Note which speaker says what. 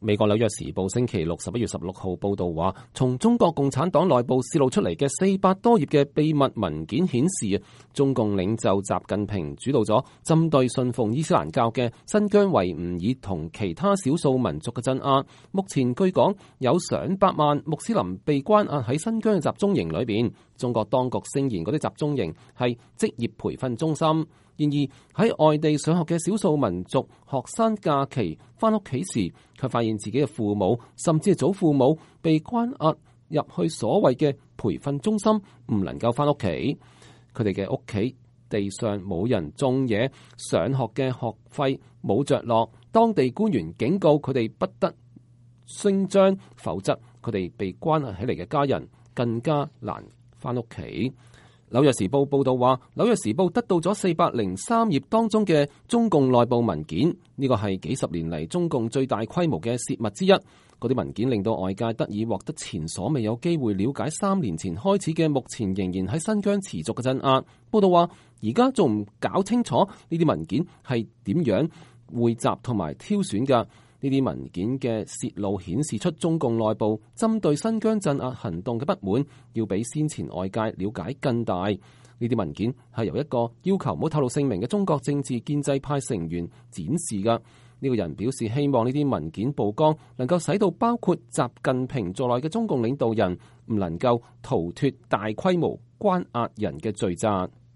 Speaker 1: 美國紐約時報星期六11月16號報道話，從中國共產黨內部泄露出嚟嘅400多頁嘅秘密文件顯示，中共領袖習近平主導咗針對信奉伊斯蘭教嘅新疆維吾爾同其他少數民族嘅鎮壓。目前據講有上百萬穆斯林被關押喺新疆嘅集中營裏邊。中國當局聲言嗰啲集中營係職業培訓中心。然而喺外地上學嘅少數民族學生假期翻屋企時，卻發現自己嘅父母甚至係祖父母被關押入去所謂嘅培訓中心，唔能夠翻屋企。佢哋嘅屋企地上冇人種嘢，上學嘅學費冇着落。當地官員警告佢哋不得聲張，否則佢哋被關押起嚟嘅家人更加難翻屋企。紐約時報報道話，紐約時報得到咗403頁當中嘅中共內部文件，呢個係幾十年嚟中共最大規模嘅洩密之一。嗰啲文件令到外界得以獲得前所未有機會了解3年前開始嘅目前仍然喺新疆持續嘅鎮壓。報道話，而家仲唔搞清楚呢啲文件係點樣匯集同埋挑選㗎？呢啲文件嘅泄露顯示出中共內部針對新疆鎮壓行動嘅不滿，要比先前外界了解更大。呢啲文件係由一個要求唔好透露姓名嘅中國政治建制派成員展示㗎。呢個人表示希望呢啲文件曝光，能夠使到包括習近平在內嘅中共領導人唔能夠逃脫大規模關押人嘅罪責。